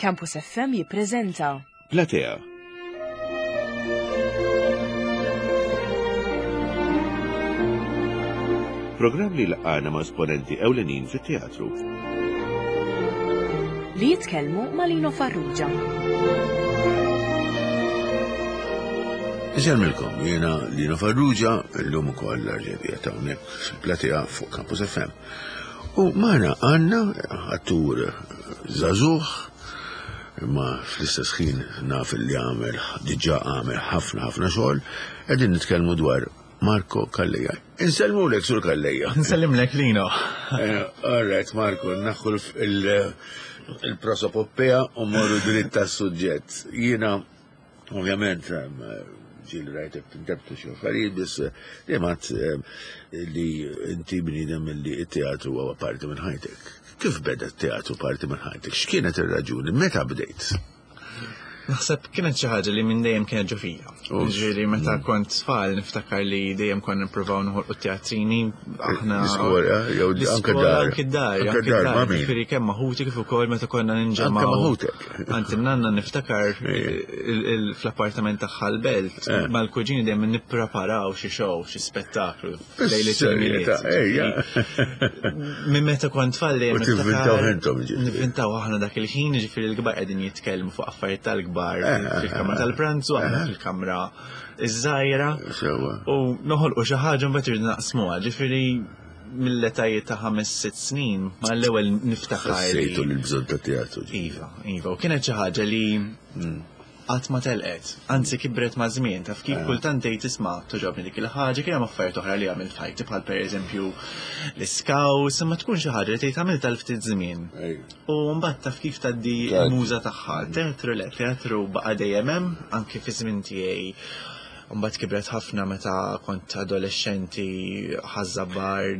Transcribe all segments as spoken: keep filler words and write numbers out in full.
Campus F M jippreżenta Platea. Programm li laqana ma' esponenti ewlenin fit-teatru. Li jitkellmu ma' Lino Farrugia. Insellmilkom, jiena Lino Farrugia, illum ukoll l-arġebija ta' hawnhekk fil-Platea fuq Campus F M. U magħna għandna attur żagħżugħ, imma fl-istess ħin naf li għamel, diġà għamel ħafna ħafna xogħol, qegħdin nitkellmu dwar Marco Calleja. Insellmulek, Sur Calleja. Nsellimlek, Lino. Eh, all right, Marco, naħħu il-prosopoppea u morru dritt tas-suġġett. Jiena, ovvjament, ġieli rajtek tintebtu xi affarijiet, biss dejjem għadt li inti bniedem li t-teatru huwa parti minn ħajtek. Kif beda t-teatru parti minn ħajtek? X'kienet ir-raġuni? Meta bdejt? Naħseb kienet xi ħaġa li minn dejjem kienet ġo fija. Uff. Ġifieri meta kont tfal niftakar li dejjem konna nippruvaw noħolqu teatrini aħna. L-iskola, jew anke L-iskola, dar. Anke dar, Anke anke dar, dar. ma' min? Ġifieri kemm ma' ħuti kif ukoll meta konna ninġemgħu. Anke ma' ħutek. Anzi, nanna niftakar Ejja. il-, il-, fl-appartament tagħha l-belt, Eh. mal-kuġini dejjem nippreparaw xi show, xi spettaklu lejliet Bis-serjetà, il-Milied. ejja. Ġifieri, minn meta kont tfal dejjem U tivvintaw niftakar- intom, ġifieri. Nivvintaw aħna dak il-ħin, ġifieri l-kbar qegħdin jitkellmu fuq affarijiet tal-kbar Eh, fil-kamra tal-pranzu, aħna fil-kamra iż-żgħira. Sewwa. U noħolqu xi ħaġa mbagħad irridu naqsmuha, ġifieri mill-etajiet ta' ħames sitt snin ma l-ewwel niftakar li- Ħassejtu li l-bżonn ta' teatru. ġifieri. Iva, iva, u kienet xi ħaġa li qatt ma telqet, anzi kibret ma' żmien, taf kif, kultant tgħid isma' toġobni dik il-ħaġa, kien hemm affarijiet oħra li għamilt f'ħajti bħal pereżempju l-iskaws, imma tkun xi ħaġa li tgħid għamiltha l ftit żmien. Ejja. U mbagħad taf kif tgħaddi Tgħaddi. l-muża tagħha. Teatru le, teatru baqa' dejjem hemm, anke fi żmien tiegħi. Mbagħad kibret ħafna meta kont adolescenti, Ħaż-Żabbar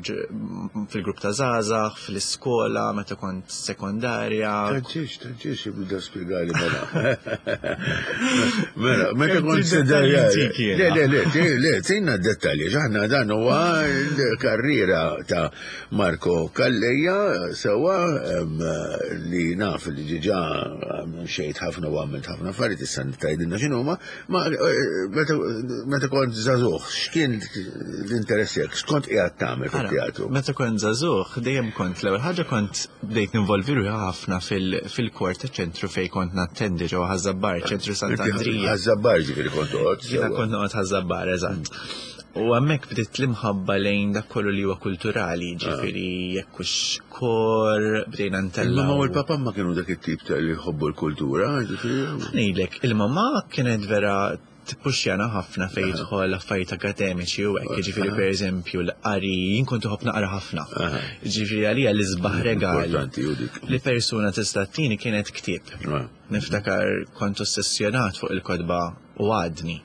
fil-grupp ta' żgħażagħ, fl-iskola, meta kont sekondarja. Taġġiex, taġġiex, jibda spjegali mela. Mela, meta Kemm kont trid sekondarja. dettalji intik jiena. Le, le, le, ti- le, tina dettalji, aħna dan huwa l-karriera ta' Marco Calleja, sewa, em, li naf li ġiġa xejt ħafna u għamilt ħafna affarijiet, issa tgħidilna x'inhuma, ma eh, meta meta kont żagħżugħ, x'kien l-interess tiegħek, x'kont qiegħed tagħmel Ara, fit-teatru? Meta kont żagħżugħ, dejjem kont l-ewwel ħaġa kont bdejt ninvolvi ruħi ħafna fil- fil-kor ta' ċentru fejn kont nattendi ġewwa Ħaż-Żabbar, ċentru Sant'Andrija. Ħaż-Żabbar ġifieri kont toqgħod. Jiena sewwa. kont noqgħod Ħaż-Żabbar, eżatt. U hemmhekk bdiet l-imħabba lejn dak kollu li huwa kulturali, ġifieri jekk hux kor, bdejna ntellgħu. Il-mama u l-papa ma kienu dak it-tip ta' li jħobbu l-kultura, ġifieri. Ngħidlek, il-mama kienet vera tippuxjana ħafna fejn jidħol affarijiet akademiċi u hekk, ġifieri pereżempju l-qari, jien kont uħobb naqra ħafna. Ġifieri għalija l-isbaħ regal Importanti u dik. li persuna tista' tini kienet ktieb. Ah. Niftakar kont ossessjonat fuq il-kotba u għadni.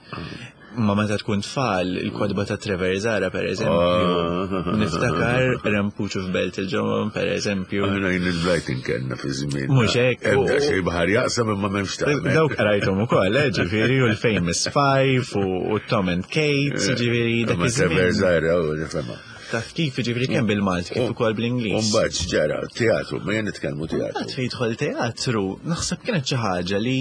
Ma meta tkun tfal, il-kotba ta' Trevor Zahra per eżempju. Ah. Niftakar Rempuċu f'Belt il-Ġomon per eżempju. Aħna jien il-Brighton kellna fi żmien. Mhux hekk, u- Ebda xejn baħar jaqsam imma m'hemmx tagħmel. Dawk qrajthom ukoll, eh, ġifieri u l-Famous Five u u Tom and Kate, ġifieri dak Imma Trevor iż-żmien. Zahra u nifhemha. Taf kif, ġifieri kemm bil-Malti kif ukoll bl-Ingliż. Umbagħad x'ġara, teatru, ma jien nitkellmu teatru. Mbagħad fejn jidħol teatru, naħseb kienet xi ħaġa li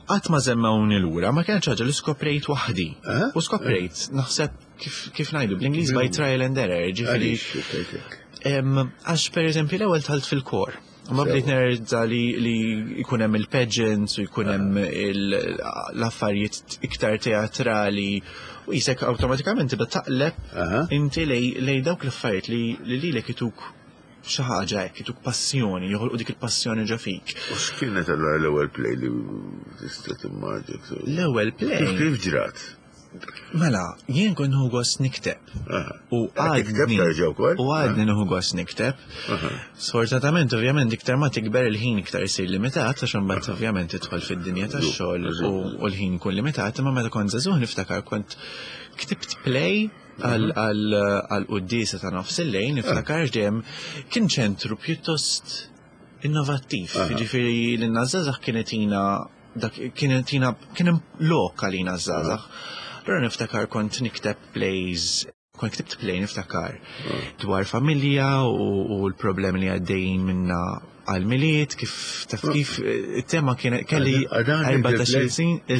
qatt ma żemmewni lura, ma kienet xi ħaġa li skoprejt waħdi. Eh? U skoprejt, naħseb kif kif ngħidu bl-Ingliż by trial and error, ġifieri. Għaliex, tgħid hekk? Em, Għax per eżempju l-ewwel dħalt fil-kor. Ma bdejt nerġa' li li jkun hemm il-pageants u jkun hemm il- l-affarijiet iktar teatrali u jisek awtomatikament tibda taqleb Aha. inti lej lej dawk l-affarijiet li li lilek ituk xi ħaġa hekk, ituk passjoni, joħolqu dik il-passjoni ġo fik. U x'kienet allura l-ewwel play li tista' timmaġina? L-ewwel play. Kif kif ġrat? Mela, jien kont nieħu gost nikteb. Aha. U Qed tikteb għadni terġa' wkoll? U għadni nieħu gost nikteb. Sfortunatament, ovvjament, iktar ma tikber il-ħin iktar isir limitat, għax imbagħad ovvjament tidħol fid-dinja tax-xogħol u u l-ħin ikun limitat, imma meta kont żagħżugħ niftakar kont ktibt play għal għal għal quddiesa ta' nofs il-lejl, niftakar dejjem kien ċentru pjuttost innovattiv. Ġifieri l-żgħażagħ kienet tina dak kienet tina kien hemm lok għalina żgħażagħ. Allura niftakar kont nikteb plays, kont ktibt play niftakar dwar familja u, u l-problemi li għaddejjin minna Għal-Milied, kif taf kif it-tema kien kelli erbatax-il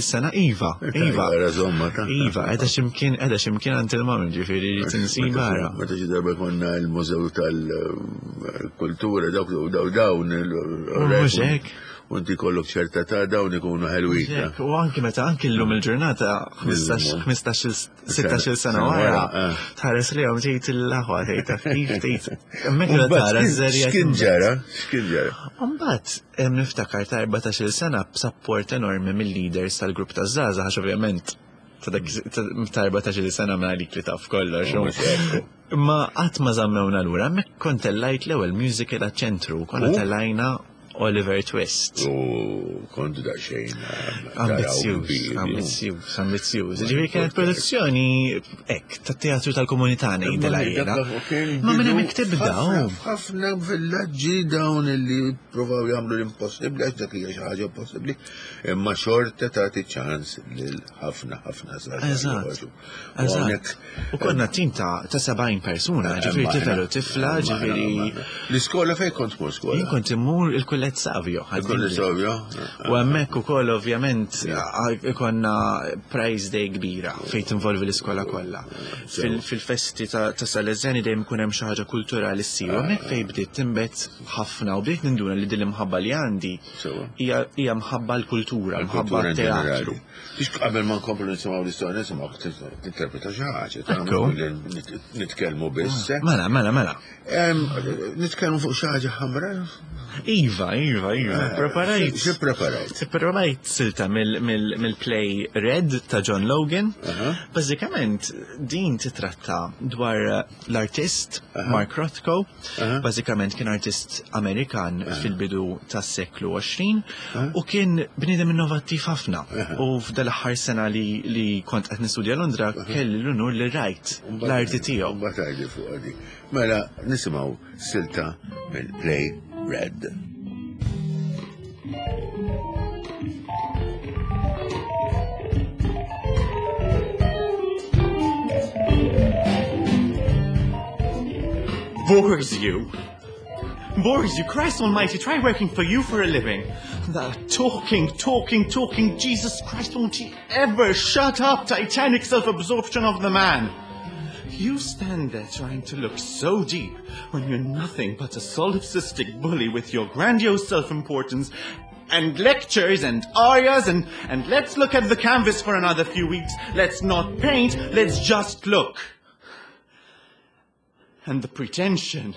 sena, iva, iva. Iva, qiegħda x'imkien, qiegħda x'imkien għand il-mami, ġifieri tinsiba ara. Meta xi darba konna l-Mużew tal-Kultura, dawk daw dawn. Mhux hekk. U inti kollok ċerta ta' dawn ikunu ħelwin. U anki meta anki llum il-ġurnata ħmistax, sittax-il sena wara, tħares li għom tgħid il-aħwa, tgħid taf kif tgħid. Hemmhekk tara żerja. X'kien ġara? X'kien ġara? Mbagħad niftakar ta' erbatax-il sena b'sapport enormi mill-leaders tal-grupp taż-żgħażagħ, għax ovvjament ta' erbatax-il sena ma għalik li taf kollox. Ma qatt ma żammewna lura, hemmhekk kont tellajt l-ewwel musical għaċ-ċentru, konna tellajna Oliver Twist. U kontu daqsxejn ambizzjuż, ambizzjuż, ambizzjuż. Ġifieri kienet produzzjoni hekk tat-teatru tal-komunità ngħidilha jiena. Ma minn hemmhekk tibda. Ħafna villaġġi dawn li provaw jagħmlu l-impossibbli, għax dak hija xi ħaġa impossibbli, imma xorta tagħti ċans lil ħafna ħafna żgħażagħ. Eżatt. U konna tim ta' sebgħin persuna, ġifieri tifel u tifla, ġifieri. L-iskola fejn kont tmur skola? Jien kont immur il-Kulleġġ Savio. Il-Kulleġġ Savio. U hemmhekk ukoll ovvjament ikonna prize day kbira fejn tinvolvi l-iskola kollha. Fil-festi ta' Salesiani dejjem ikun hemm xi ħaġa kulturali ssir. U hemmhekk fejn bdiet tinbet ħafna u bdiet ninduna li din l-imħabba li għandi hija mħabba l-kultura, mħabba t-teatru. Tix qabel ma nkomplu nisimgħu l-istorja, nisimgħu tinterpreta xi ħaġa, nitkellmu biss. Mela, mela, mela. Nitkellmu fuq xi ħaġa ħamra? Iva, iva, iva. Preparajt. Xi preparajt? Preparajt silta mill-play Red ta' John Logan. Bażikament din titratta dwar l-artist Mark Rothko. Bażikament kien artist Amerikan fil-bidu tas-seklu għoxrin u kien bniedem innovattiv ħafna. U f'dal-aħħar sena li kont qed nistudja Londra kelli l-unur li rajt l-arti tiegħu. Mbagħad fuq di. Mela nisimgħu silta mill-play Red. Bores you. Bores you. Christ almighty, try working for you for a living. That talking, talking, talking, Jesus Christ, won't he ever shut up? Titanic self-absorption of the man. You stand there trying to look so deep when you're nothing but a solipsistic bully with your grandiose self-importance and lectures and arias and, and let's look at the canvas for another few weeks. Let's not paint, let's just look. And the pretension.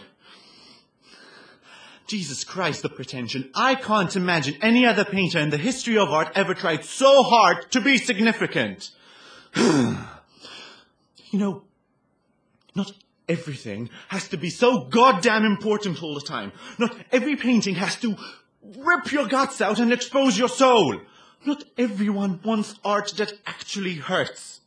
Jesus Christ, the pretension. I can't imagine any other painter in the history of art ever tried so hard to be significant. You know, not everything has to be so goddamn important all the time. Not every painting has to rip your guts out and expose your soul. Not everyone wants art that actually hurts.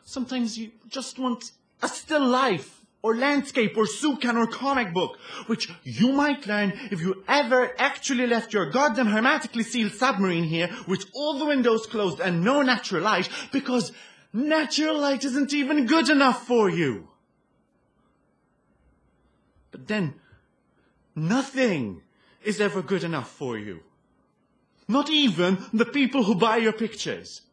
Sometimes you just want a still life, or landscape, or soup can, or comic book, which you might learn if you ever actually left your goddamn hermetically sealed submarine here with all the windows closed and no natural light, because natural light isn't even good enough for you. But then, nothing is ever good enough for you. Not even the people who buy your pictures.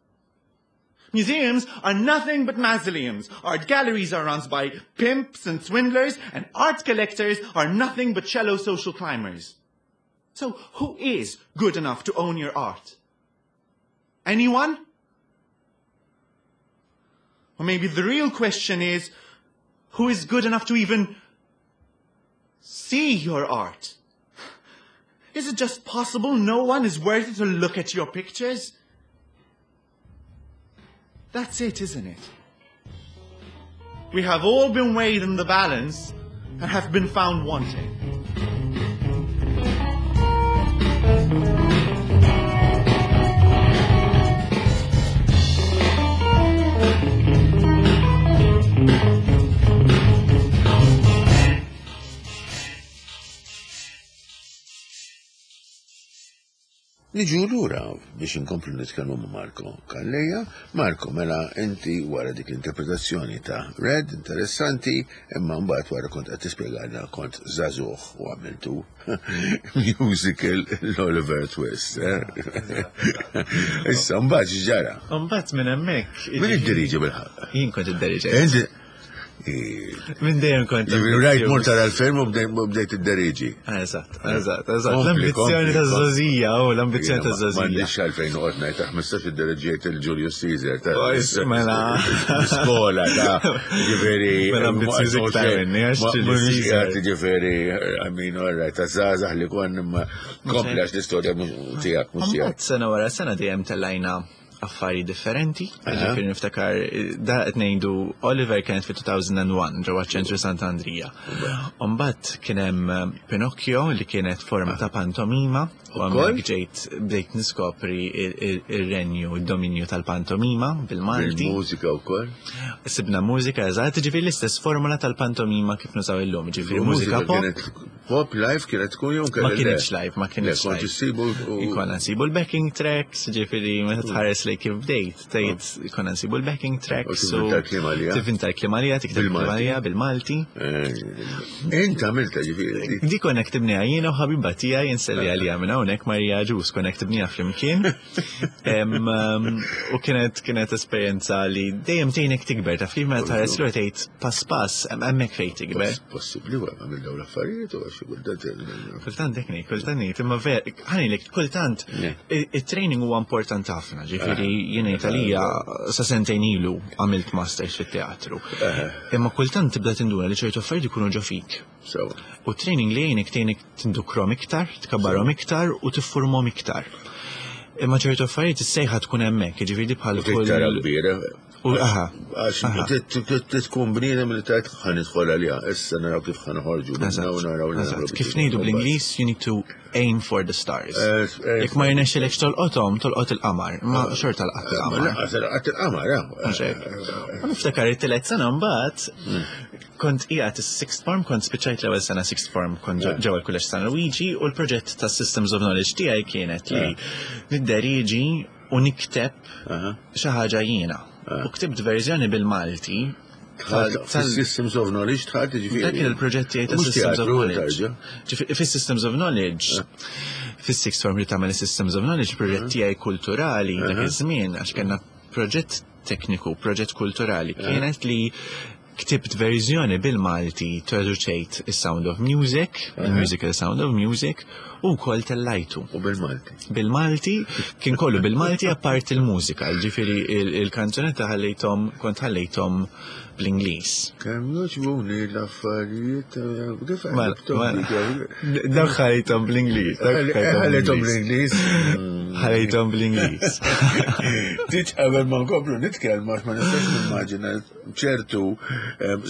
Museums are nothing but mausoleums. Art galleries are run by pimps and swindlers, and art collectors are nothing but shallow social climbers. So who is good enough to own your art? Anyone? Or maybe the real question is, who is good enough to even see your art? Is it just possible no one is worthy to look at your pictures? That's it, isn't it? We have all been weighed in the balance and have been found wanting. Niġu lura biex inkomplu nitkellmu ma' Marco Calleja. Marco, mela inti wara dik l-interpretazzjoni ta' Red, interessanti, imma mbagħad wara kont qed tispjegalna kont żagħżugħ u għamiltu musical l-Oliver Twist. Eh? Issa mbagħad x'ġara? Mbagħad minn hemmhekk. Min iddiriġi bil-ħaqq? Jien kont idderiġi. Minn dejjem kont. Rajt mort tara l-film u bdejt idderiġi. Eżatt, eżatt, eżatt. L-ambizzjoni ta' żgħożija, u l-ambizzjoni ta' żgħożija. M'għandix għalfejn noqgħod ngħid ta' ħmistax idderieġejt il-Julius Caesar ta' Mela. Skola ta' ġifieri. Mela ambizzjuż iktar minni għax Julius Caesar. Ġifieri, I mean, all right, ta' żgħażagħ li kont imma kompli għax l-istorja tiegħek mhux tiegħek. Sena wara sena dejjem tellajna affari differenti. Ġifieri niftakar da qed ngħidu Oliver kienet fi two thousand and one ġewwa ċentru Sant'Andrija. Mbagħad kien hemm Pinocchio li kienet forma ta' pantomima u hemmhekk ġejt bdejt niskopri ir-renju, id-dominju tal-pantomima bil-Malti. Bil-mużika wkoll? Sibna mużika, eżatt, ġifieri l-istess formula tal-pantomima kif nużaw illum, ġifieri mużika pop. Pop live kienet tkun jew Ma kienx live, ma kienx live. Kont issibu. Konna nsibu l-backing tracks, ġifieri meta tħares li kif bdejt, tgħid konna nsibu l-backing tracks. Tivvinta l-kliem għalija. Tivvinta l-kliem għalija, tikteb kliem għalija bil-Malti. Int għamilta ġifieri. Di konna ktibniha jiena u ħabiba tiegħi, inselli għalija minn hawnhekk, Marija Ġus, konna ktibniha flimkien. U kienet kienet esperjenza li dejjem tgħinek tikber, taf kif, meta tħares lura tgħid pass pass hemmhekk fejn tikber. Possibbli wara għamil dawn l-affarijiet u għax kultant. Kultant hekk ngħid, kultant ngħid, imma ver, ħanilek kultant it-training huwa importanti ħafna, ġifieri jiena Italija sa sentejn ilu għamilt masters fit-teatru. Imma kultant tibda tinduna li ċertu affarijiet ikunu ġo fik. U training li jgħinek tgħinek tindukrom iktar, tkabbarhom iktar u tiffurmhom iktar. Imma ċertu affarijiet is-sejħa tkun hemmhekk, jiġifieri bħal kull. Tara kbira. U aha. Għax tkun bniedem li tajt ħa nidħol għalija, issa naraw kif ħa noħorġu. Kif ngħidu bl-Ingliż, you need to aim for the stars. Jekk ma jirnexxilekx tolqothom, tolqot il-qamar, ma xorta laqat il-qamar. Laqat il-qamar, U niftakar it-tielet sena mbagħad kont qiegħed is-sixth form, kont spiċċajt l-ewwel sena sixth form, kont ġewwa l-Kulleġġ San Luigi u l-proġett ta' Systems of Knowledge tiegħi kienet li nidderieġi u nikteb xi ħaġa jiena. U ktibt verżjoni bil-Malti. Systems of Knowledge tħad ġifieri. Dak kien il-proġett tiegħi ta' Systems of Knowledge. Fis-Systems of Knowledge, fis-sixth form li tagħmel Systems of Knowledge, proġett tiegħi kulturali dak iż-żmien, għax kellna proġett tekniku, proġett kulturali, kienet li ktibt verżjoni bil-Malti, traduċejt is-Sound of Music, il-musical Sound of Music, u kol tellajtu. U bil-Malti. Bil-Malti, kien kollu bil-Malti apart il-mużika, ġifieri il-kanzunetta ħallejthom, kont ħallejthom bl-Ingliż. Kemm jogħġbuni l-affarijiet, kif Dawk ħallejthom bl-Ingliż. Ħallejthom bl-Ingliż. Ħallejthom bl-Ingliż. Tiġ qabel ma nkomplu nitkellmu għax ma nistax nimmaġina ċertu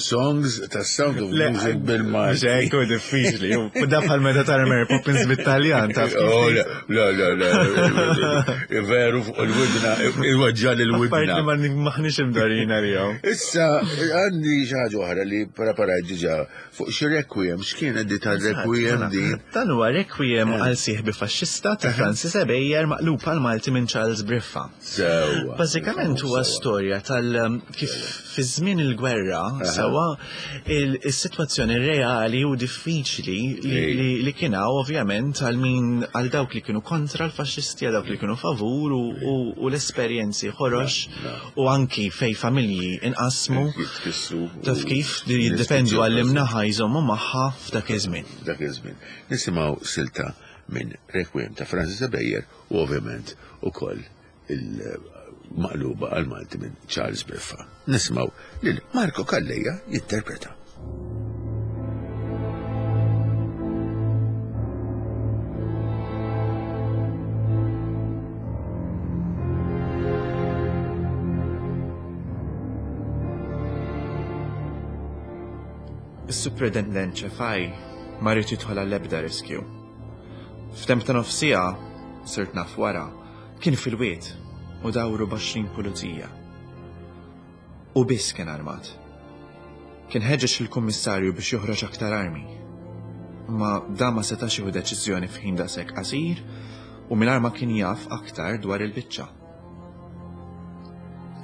songs ta' Sound of Music bil-Malti. Ġekku diffiċli. Da bħal meta tara Mary Poppins bit-Taljan, taf. Oh, le, le, le, veru fuq il-widna, il-weġġa il-widna. Apparti ma maħniex imdorrijin għalihom. Issa, għandi xi ħaġa oħra li preparajt diġà fuq xi requiem, x'kienet di tar-requiem di? Dan huwa Requiem għal sieħbi faxxista ta' Francis Ebejer maqlub għal Malti minn Charles Briffa. Sewwa. Bażikament huwa storja tal kif fi żmien il-gwerra sewwa il-sitwazzjoni reali u diffiċli li kien hawn ovvjament għal min, għal dawk li kienu kontra l-faxxisti, għal dawk li kienu favur u l-esperjenzi ħorox u anki fej familji inqasmu. Taf kif jiddependu għall-imnaħa jżommu magħha f'dak iż-żmien. Dak iż-żmien. Nisimgħu silta minn Requiem ta' Francis Ebejer u ovvjament ukoll il-maqluba għal-Malti minn Charles Briffa. Nisimgħu lil Marco Calleja jinterpreta. Is-Superintendent Ċefaj ma ried jidħol għall-ebda riskju. F'temp ta' nofs siegħa, sirt naf wara, kien fil-wied u dawru b'għoxrin pulizija. U biss kien armat. Kien ħeġġeġ il-kummissarju biex joħroġ aktar armi. Ma da ma setax jieħu deċiżjoni f'ħin daqshekk qasir u mingħajr ma kien jaf aktar dwar il-biċċa.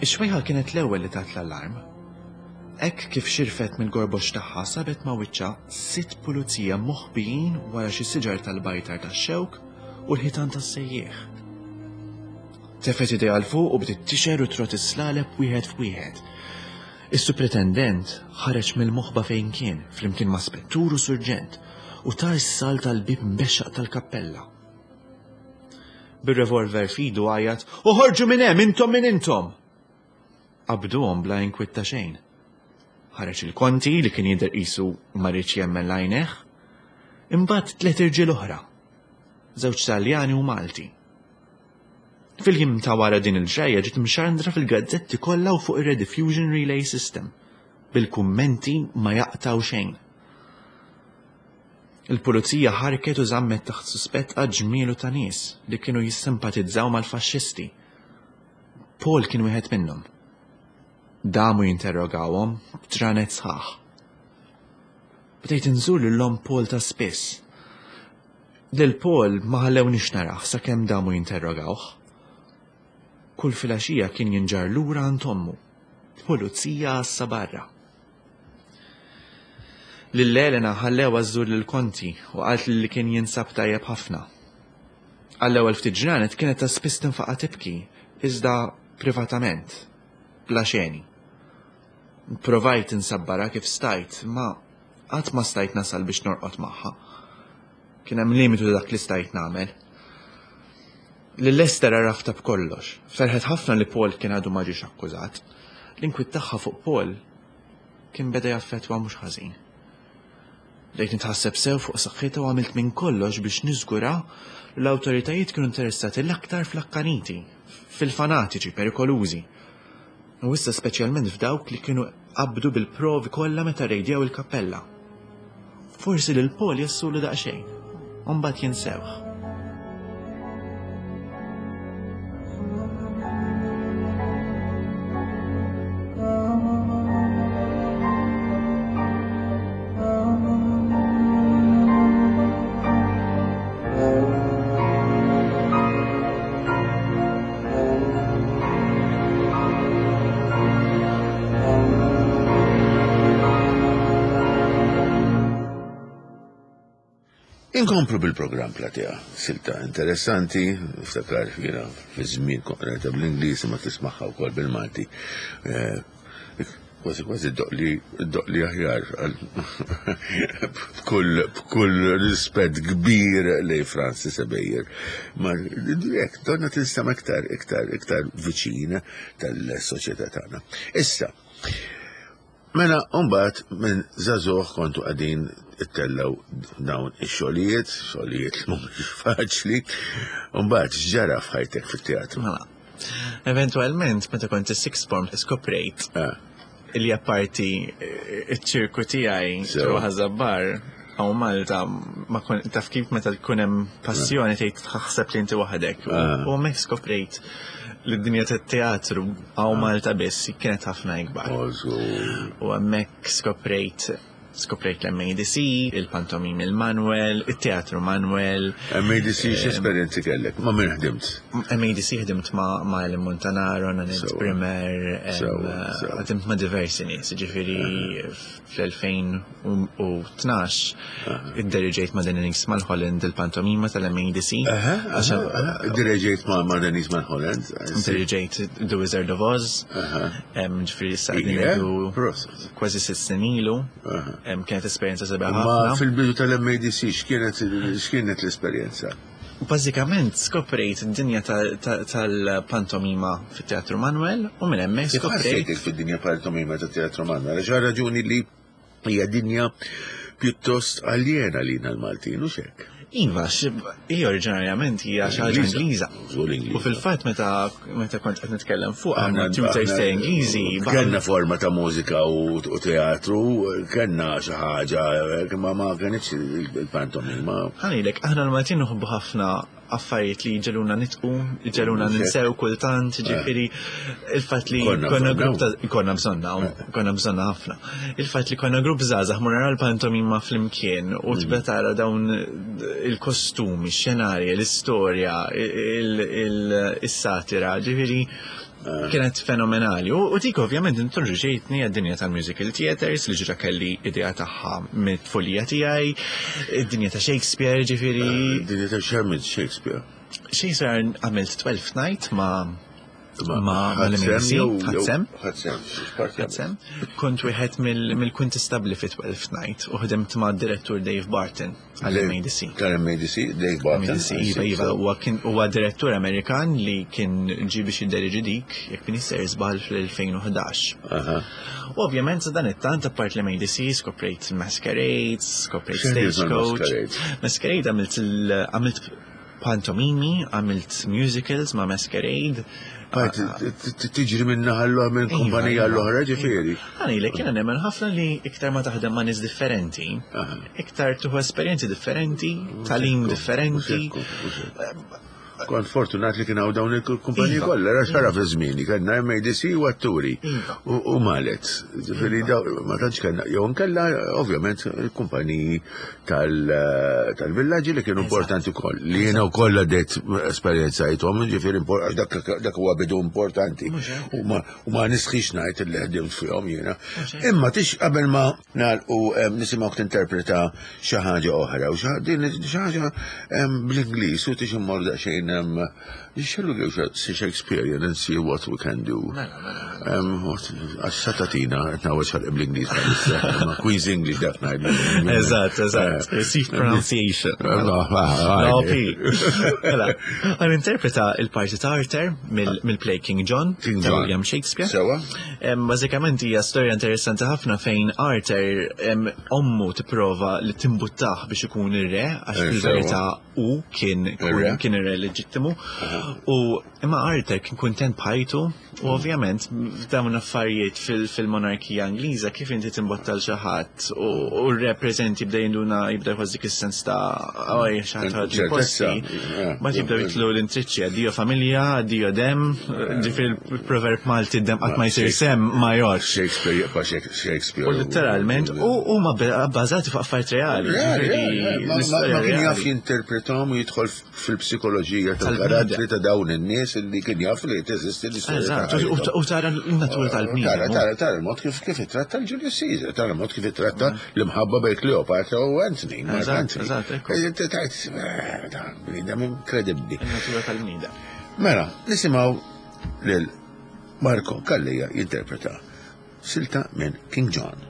Ix-xwejħa kienet l-ewwel li tat l-allarm. Hekk kif xirfet mill-gorbox tagħha sabet ma' wiċċha sitt pulizija moħbijin wara xi siġar tal-bajtar tax-xewk u l-ħitan tas-sejjieħ. Tefgħet idejha 'l fuq u bdiet tixgħer u trott is-slaleb wieħed f'wieħed. Is-supretendent ħareġ mill-moħba fejn kien flimkien ma' spettur u surġent u tar salt tal-bib mbexxaq tal-kappella. Bir-revolver f'idu għajjat, "Oħorġu minn hemm intom minn intom!" Qabduhom bla inkwiet ta' xejn. Ħareġ il-konti li kien jidher qisu ma riedx jemmen l-għajnejh. Imbagħad tliet irġiel oħra, żewġ Taljani u Malti. Fil-jiem ta' wara din il-ġrajja ġiet mxandra fil-gazzetti kollha u fuq ir-Rediffusion Relay System, bil-kummenti ma jaqtaw xejn. Il-pulizija ħarket u żammet taħt suspett ġmielu ta' nies li kienu jissimpatizzaw mal-faxxisti. Paul kien wieħed minnhom. Damu jinterrogawhom b'ġranet sħaħ. Bdejt inżur lil omm Paul ta' spiss. Lil Paul ma ħallewniex narah sakemm damu jinterrogawh. Kull filgħaxija kien jinġarr lura għand ommu. Pulizija għassa barra. Lil Elena ħallewha żżur lil Konti u qalt li kien jinsab tajjeb ħafna. Għall-ewwel ftit ġranet kienet ta' spiss tinfaqa' tibki, iżda privatament, bla xeni. Provajt insabbarha kif stajt, ma qatt ma stajt nasal biex norqod magħha. Kien hemm limitu dak li stajt nagħmel. Lil Esther għarraftha b'kollox. Ferħet ħafna li Paul kien għadu ma ġiex akkużat. L-inkwiet tagħha fuq Paul kien beda jaffettwa mhux ħażin. Bdejt nitħasseb sew fuq saħħitha u għamilt minn kollox biex niżgura li l-awtoritajiet kienu interessati l-aktar fl-akkaniti, fil-fanatiċi perikolużi. U issa speċjalment f'dawk li kienu qabdu bil-provi kollha meta rejdjaw il-kappella. Forsi lil Paul jassulu daqsxejn, u mbagħad jinsewh. Inkomplu bil-programm Platea, silta interessanti, niftakar jiena fi żmien konqreta bl-Ingliż ma tismagħha wkoll bil-Malti. Kważi kważi doqli aħjar b'kull b'kull rispett kbir lej Francis Ebejer. Ma hekk donna tinstema' iktar iktar iktar viċin tal-soċjetà tagħna. Issa, mela mbagħad minn żagħżugħ kontu qegħdin ittellaw dawn ix-xogħlijiet, xogħlijiet li mhumiex faċli, u mbagħad x'ġara f'ħajtek fit-teatru? Mela, eventwalment meta kont is-sixth form skoprejt li apparti iċ-ċirku tiegħi ġewwa Ħaż-Żabbar hawn Malta ma kon taf kif meta tkun hemm passjoni tgħid taħseb li inti waħdek. U hemmhekk skoprejt li d-dinja tat-teatru hawn Malta biss kienet ħafna ikbar. U hemmhekk skoprejt skoprejt l-M A D C, il-pantomim il-Manuel, il-teatru Manuel. M A D C x'esperjenzi kellek? Ma' min ħdimt? M A D C ħdimt ma' ma' Ellen Montanaro, Nanette Brimmer, ħdimt ma' diversi nies, ġifieri fl-elfejn u tnax idderieġejt ma' Denise Mulholland il-pantomima tal-M A D C. Idderieġejt ma' Denise Mulholland? Idderieġejt The Wizard of Oz, ġifieri issa qegħdin ngħidu kważi sitt snin ilu. Kienet esperjenza sabiħa Ma ħafna. fil-bidu tal-M A D C x'kienet, x'kienet l-esperjenza? Bażikament skoprejt id-dinja tal-pantomima fit-Teatru Manuel u minn hemmhekk Kif skoprejt ħassejtek fid-dinja pantomima tat-Teatru Manuel? Għax għal raġuni li hija dinja pjuttost aljena lina l-Maltin, u x'hekk? Iva, hija oriġinarjament hija xi ħaġa Ingliża. Żgur Ingliża. U fil-fatt meta, meta kont qed nitkellem fuq Aħna għandna tutors aħna ta' Ingliżi, ba- Kellna forma ta' mużika u, u teatru, kellna xi ħaġa, ma, ma kenitx il-pantomima. Ħanilek, aħna l-Maltin nħobbu ħafna affarijiet li ġeluna nitqu, ġeluna ninsew kultant, ġifieri il-fatt li konna grupp ta' konna bżonna, konna bżonna ħafna. Il-fatt li konna grupp żgħażagħ mur nara l-pantomima flimkien u tibda tara dawn il-kostumi, x-xenarji, l-istorja, il-satira, ġifieri kienet fenomenali. U dik ovvjament introduċejtni għad-dinja tal-musical theaters li ġra kelli idea tagħha mit-tfulija tiegħi, id-dinja ta' Shakespeare, ġifieri. Id-dinja ta' x'għamilt Shakespeare? Shakespeare għamilt Twelfth Night ma' ma' l-M A D C, ħadsem. Ħadsem. Kont wieħed mill-kuntistabli fi Twelfth Night u ħdimt ma' direttur Dave Barton għall-M A D C. Tal-M A D C, Dave Barton. M A D C, iva, iva, huwa direttur Amerikan li kien ġie biex jidderiġi dik, jekk min jisser żball fl-elfejn u ħdax. U ovvjament sa dan it-tant apart l-M A D C skoprejt Masquerades, skoprejt Stagecoach. Masquerade għamilt għamilt pantomimi, għamilt musicals ma' Masquerade. Tiġri minn naħa l minn kumpanija l-oħra, ġifieri. Għani li kiena nemmen ħafna li iktar ma taħdem ma' nies differenti, iktar tuħu esperjenzi differenti, tagħlim differenti. Kont fortunat li kien hawn dawn il-kumpaniji kollha, ra xara fi żmieni, kellna M A D C u atturi u Malet. Ġifieri ma tantx kellna, jew nkella ovvjament il-kumpaniji tal-villaġġi li kienu importanti wkoll, li jiena wkoll għaddejt esperjenzajthom, ġifieri dak huwa bidu importanti. U ma nisħix ngħid li ħdimt fihom jiena. Imma tix qabel ma nagħlqu nisimgħuk tinterpreta xi ħaġa oħra u din xi ħaġa bl-Ingliż u tix immur daqsxejn. Shall we go to Shakespearean and see what we can do? Għax satatina, għetna għax bl-Ingliż, ma Queen's English dak ngħidu. Eżatt, eżatt. Received pronunciation. No, P. Mela, għan interpreta il-parti ta' Arthur mill-play King John, ta' William Shakespeare. Sewa? Bażikament hija storja interessanti ħafna fejn Arthur ommu tipprova li timbuttah biex ikun ir-re, għax fil-verità u kien kien ir-re leġittimu. U imma Arthur kien kuntent b'ħajtu u ovvjament f'dawn affarijiet fil-monarkija Ingliża kif inti timbotta l xi ħadd u r-re preżenti jibda jinduna, jibda jħoss dik is-sens ta' oj xi ħadd ħadd posti. Ma jibda jitlu l-intriċċi, addio familja, addio dem, ġifieri il-proverb Malti dem qatt ma jsir sem ma jgħodx. Shakespeare jibqa' Shakespeare. U literalment u huma bbażati fuq affarijiet reali. Ma kien jaf jinterpretahom u jidħol fil-psikoloġija tal-karattri ta' dawn in-nies li kien jaf li teżisti l-istorja. U tara l-natura tal-bniedem. Tara, tara, tara il-mod kif kif ittratta l-Julius Caesar, tara il-mod kif ittratta l-imħabba bejn Cleopatra u Anthony. Eżatt, Tajt, bniedem inkredibbli. Il-natura tal-bniedem. Mela, nisimgħu lil Marco Calleja jinterpreta silta minn King John.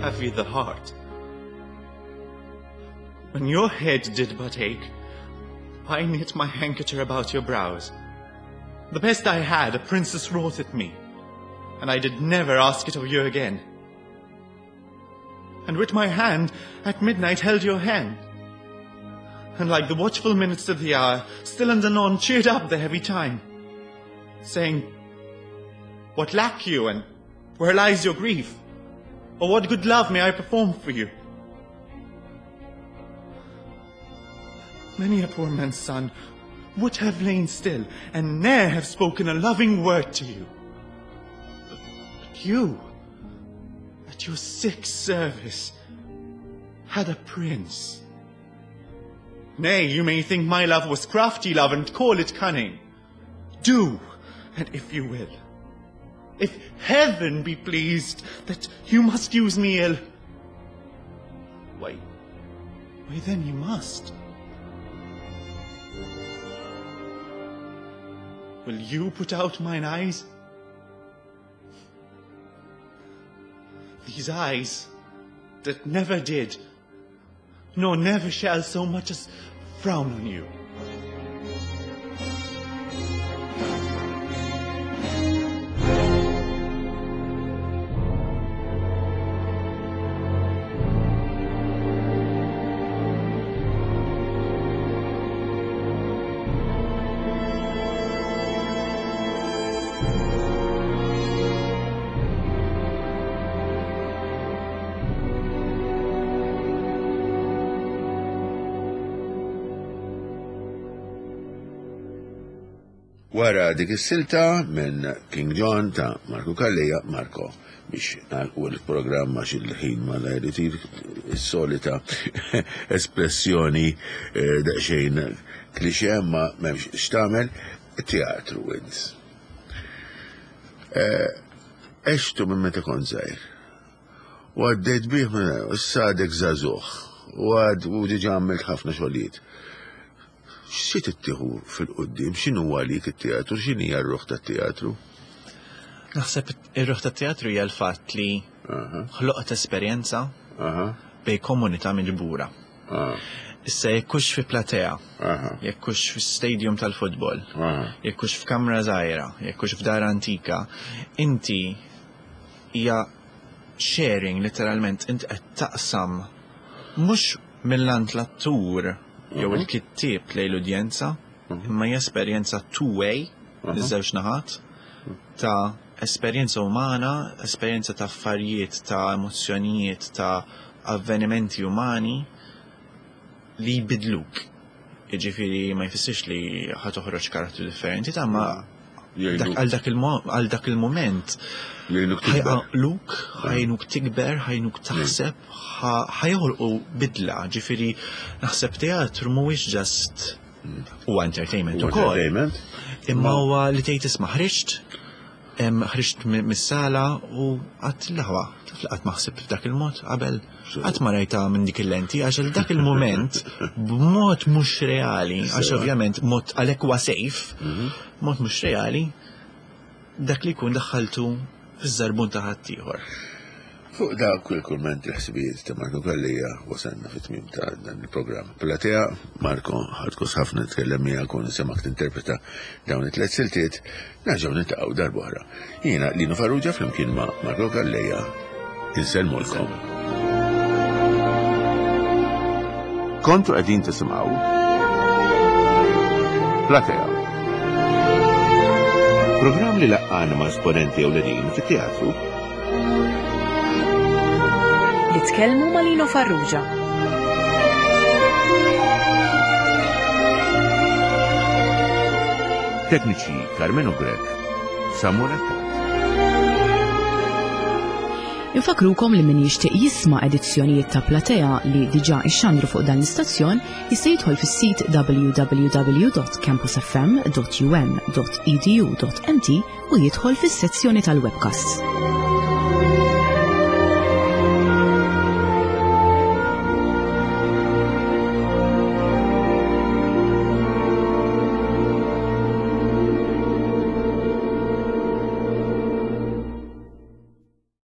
Have ye the heart? When your head did but ache, I knit my handkerchief about your brows. The best I had, a princess wrought at me, and I did never ask it of you again. And with my hand at midnight held your hand, and like the watchful minutes of the hour, still and anon cheered up the heavy time, saying, "What lack you, and where lies your grief? Or what good love may I perform for you?" Many a poor man's son would have lain still and ne'er have spoken a loving word to you. But, but you, at your sick service, had a prince. Nay, you may think my love was crafty love and call it cunning. Do, and if you will. If heaven be pleased that you must use me ill, why, why then you must. Will you put out mine eyes? These eyes that never did, nor never shall so much as frown on you. Wara dik is-silta minn King John ta' Marco Calleja, Marco, biex nagħlqu l-programm għax il-ħin ma itir is-solita espressjoni eh, daqsxejn klixe ma m'hemmx x'tagħmel, teatru wins. Għextu minn meta kont żgħir. U għaddejt bih minn issa għadek żagħżugħ. U għad u diġà għamilt ħafna xogħlijiet. Xi tittieħu fil-qudiem, x'inhu għalik it-teatru, x'inhi r-ruħ tat-teatru? Naħseb ir-ruħ tat-teatru hija l-fatt li ħloqt esperjenza bejn komunità miġbura. Issa jekk hux fi platea, jekk hux fi stadium tal-futbol, jekk hux f'kamra żgħira, jekk hux f'dar antika, inti hija sharing literalment, inti qed taqsam mhux mill-ant l-attur jew il-kittieb lejn l-udjenza, imma hija esperjenza two-way, iż-żewġ naħat, ta' esperjenza umana, esperjenza ta' affarijiet, ta' emozzjonijiet, ta' avvenimenti umani li jbidluk. Jiġifieri ma jfissirx li ħa toħroġ karattru differenti, ta' ma għal dak il-moment ħa jqanqluk, ħa jgħinuk tikber, ħa jgħinuk taħseb, ħa joħolqu bidla, ġifieri naħseb teatru mhuwiex just huwa entertainment ukoll. Imma huwa li tgħid isma' ħriġt, ħriġt mis-sala u għedt l-aħwa, taf li qatt ma ħsibt f'dak il-mod qabel, qatt ma rajta minn dik il-lenti, għax għal dak il-moment b'mod mhux reali, għax ovvjament mod għalhekk huwa safe, mod mhux reali, dak li jkun daħħaltu fiż-żarbun ta' ħaddieħor. Fuq dak il-kummenti ħsibijiet ta' Marco Calleja wasalna fit-tmiem ta' dan il-programm. Platea, Marco, ħadt gost ħafna nitkellem miegħek u nisimgħek tinterpreta dawn it-tliet siltiet, nerġgħu niltaqgħu darb'oħra. Jiena Lino Farrugia flimkien ma' Marco Calleja insellmulkom. Kontu qegħdin tisimgħu Platea. Programm li laqqana ma' esponenti ewlenin fit-teatru. Li tkellmu ma' Lino Farrugia. Tekniċi Carmelo Grech, Samuel Attat. Infakrukom li min jixtieq jisma' edizzjonijiet ta' Platea li diġà ixxandru fuq dan l-istazzjon jista' jidħol fis-sit w w w dot campusfm dot u m dot e d u dot m t u jidħol fis-sezzjoni tal-webcasts.